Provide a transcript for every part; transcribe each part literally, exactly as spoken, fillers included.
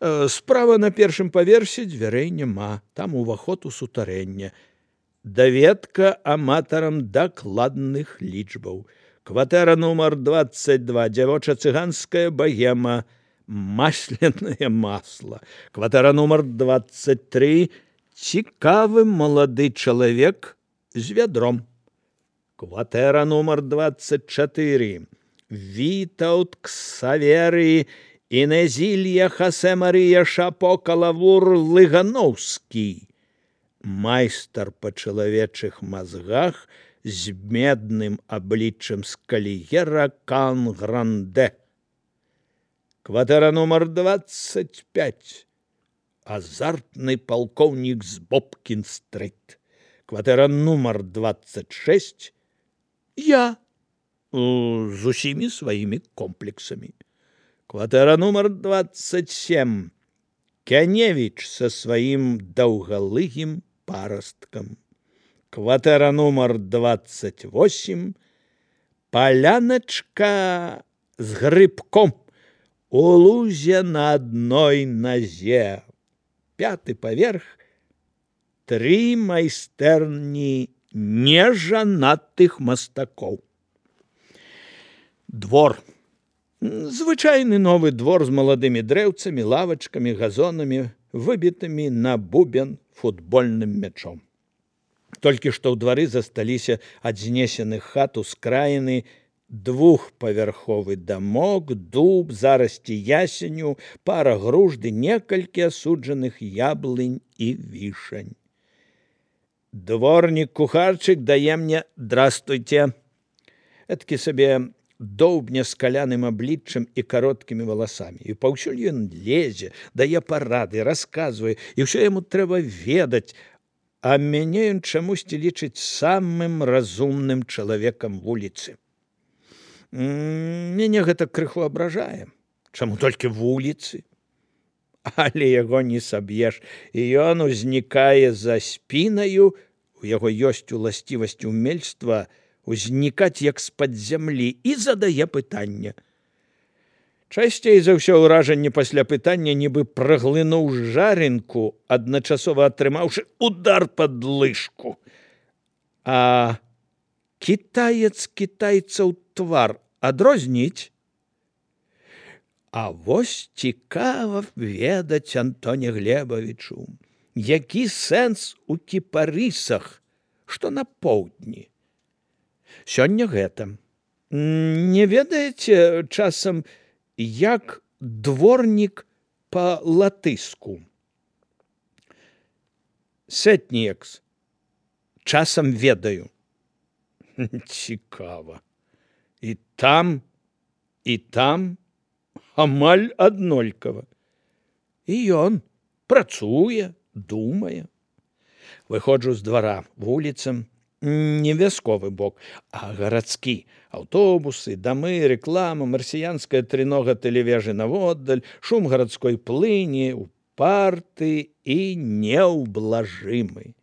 Справа на першым паверсе дзвярэй няма, там уваход у сутарэнне. Даведка аматарам дакладных лічбаў. Кватэра нумар двадцать два, дзявоча-цыганская богема, масляное масло. Кватэра нумар двадцать три, цікавы малады чалавек з вядром. Кватэра нумар двадцать четыре, Вітаўт Ксаверы Інезілія Хасе Марія Шапо Калавур Лыгановскі. Майстар па чалавечых мазгах з медным абліччам скальера Кан Гранде. Кватэра нумар двадцать пять, азартны палкоўнік з Бобкін-стрыт. Кватэра нумар двадцать шесть, я з усімі сваімі комплексамі. Кватэра нумар двадцать семь, Кяневіч са сваім даўгалыгім парасткам. Кватэра нумар двадцать восемь, паляначка з грыбком у лузе на адной назе. Пяты паверх, тры майстэрні нежанатых мастакоў. Двор. Звычайны новы двор з маладымі дрэўцамі, лавачкамі, газонамі, выбітымі на бубен футбольным мячом. Толькі што ў двары засталіся ад знесеных хат ускраіны двухпавярховы дамок, дуб, зарасці ясеню, пара груш ды некалькі асуджаных яблынь і вішань. Дворнік-кухарчык дае мне «Здрастуйте». Эткі сабе доўбня з каляным абліччам і кароткімі валасамі. І паўсюль ён лезе, дае парады, расказвае, і ўсё яму трэба ведаць, а мяне ён чамусьці лічыць самым разумным чалавекам вуліцы. Мяне гэта крыху абражае. Чаму толькі вуліцы? Але яго не саб'еш, і ён узнікае за спінаю, у яго ёсць уласцівасць умельства узнікаць як з-пад зямлі і задае пытанне. Часцей за ўсё ўражанне пасля пытання нібы праглынуў жарынку, адначасова атрымаўшы удар пад лыжку. А кітаец кітайцаў твар адрозніць? А вось цікава ведаць Антоне Глебавічу, які сэнс у кіпарысах, што на поўдні. Сёння гэта. Не ведаеце часам, як дворнік па-латыску? Сэтніекс. Часам ведаю. Цікава. І там, і там амаль аднолькава. І ён працуе, думае. Выходжу з двара вуліцам, не вясковы бок, а гарадскі. Аўтобусы, дамы, рэклама, марсіянская трынога тэлевежы наводдаль, шум гарадской плыні, упарты і неўблажымы.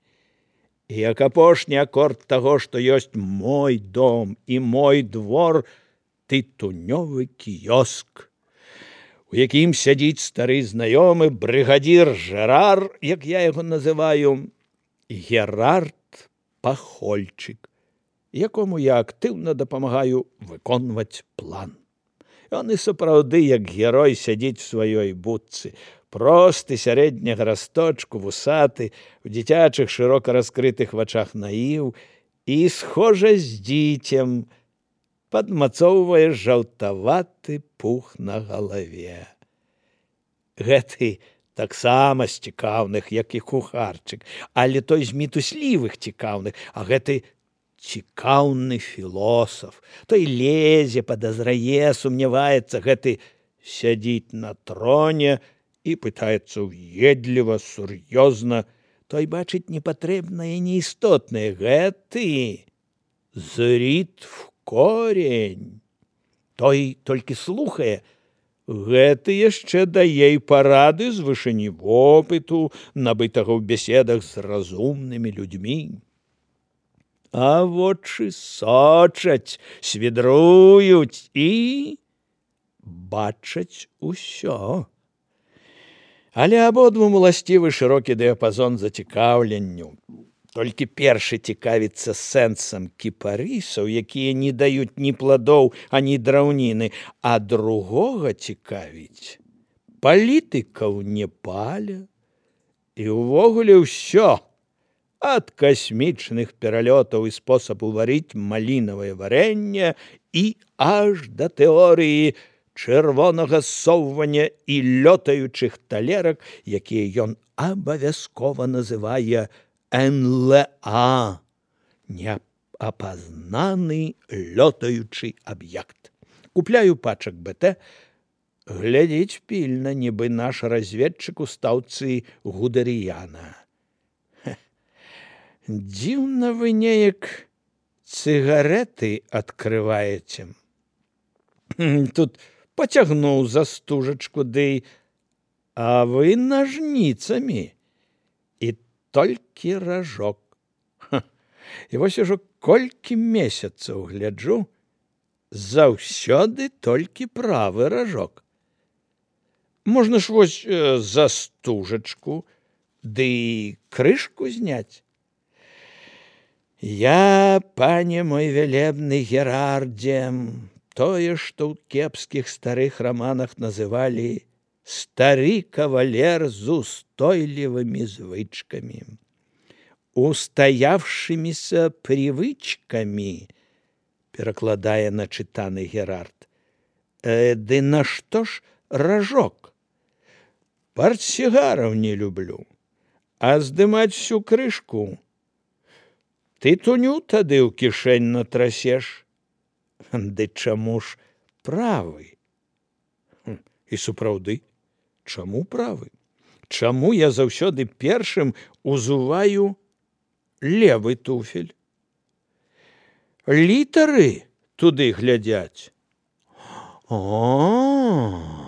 І як апошні акорд таго, што ёсць мой дом і мой двор, тытунёвы кіёск, у якім сядзіць стары знаёмы брыгадзір Жэрар, як я яго называю, Герард Пахольчык, якому я актыўна дапамагаю выконваць план. Ён і сапраўды, як герой, сядзіць у сваёй будцы, просты, сярэдняга расточку, вусаты, у дзіцячых шырока раскрытых вачах наіў і, схожа з дзіцем, падмацоўвае жаўтаваты пух на галаве. Гэты таксама з цікаўных, як і кухарчык, але той з мітуслівых цікаўных, а гэты цікаўны філосаф. Той лезе, падазрае, сумняваецца, гэты сядзіць на троне і пытаецца ўедліва, сур'ёзна. Той бачыць непатрэбнае і неістотнае. Гэты зріт в корень. Той толькі слухае. Гэты яшчэ дае і парады з вышыні вопыту, набытага ў беседах з разумнымі людзьмі. А вочы сочаць, свідруюць і бачаць усё. Але абодвум уласцівы шырокі дыяпазон зацікаўленню. Толькі першы цікавіцца сэнсам кіпарысаў, якія не даюць ні пладоў, ані драўніны, а другога цікавіць палітыкаў Непаля. І ўвогуле ўсё, ад касмічных пералётаў і спосабу варыць малінавае варэнне і аж да тэорыі чырвонага ссоўвання і лётаючых талерак, якія ён абавязкова называе эн эл а – неапазнаны лётаючы аб'ект. Купляю пачак бэ тэ, глядзіць пільна, нібы наш разведчык у стаўцы Гудэрыяна. Дзіўна вы неяк цыгарэты адкрываеце. Тут пацягнуў за стужачку, дый, а вы нажніцамі. І толькі ражок. Ха. І вось ужо колькі месяцаў гляджу, заўсёды толькі правы ражок. Можна ж вось э, за стужачку, ды крышку зняць. Я, пане мой вялебны Герардзе, тое, што ў кепскіх старых раманах называлі «стары кавалер з устойлівымі звычкамі, устоявшимися привычками», перакладае начытаны Герард. Э, ды нашто ж ражок? Партсігараў не люблю, а здымаць всю крышку тытуню тады ў кішэнь натрасеш. Ды чаму ж правы? І сапраўды, чаму правы? Чаму я заўсёды першым узуваю левы туфель? Літары туды глядзяць. О,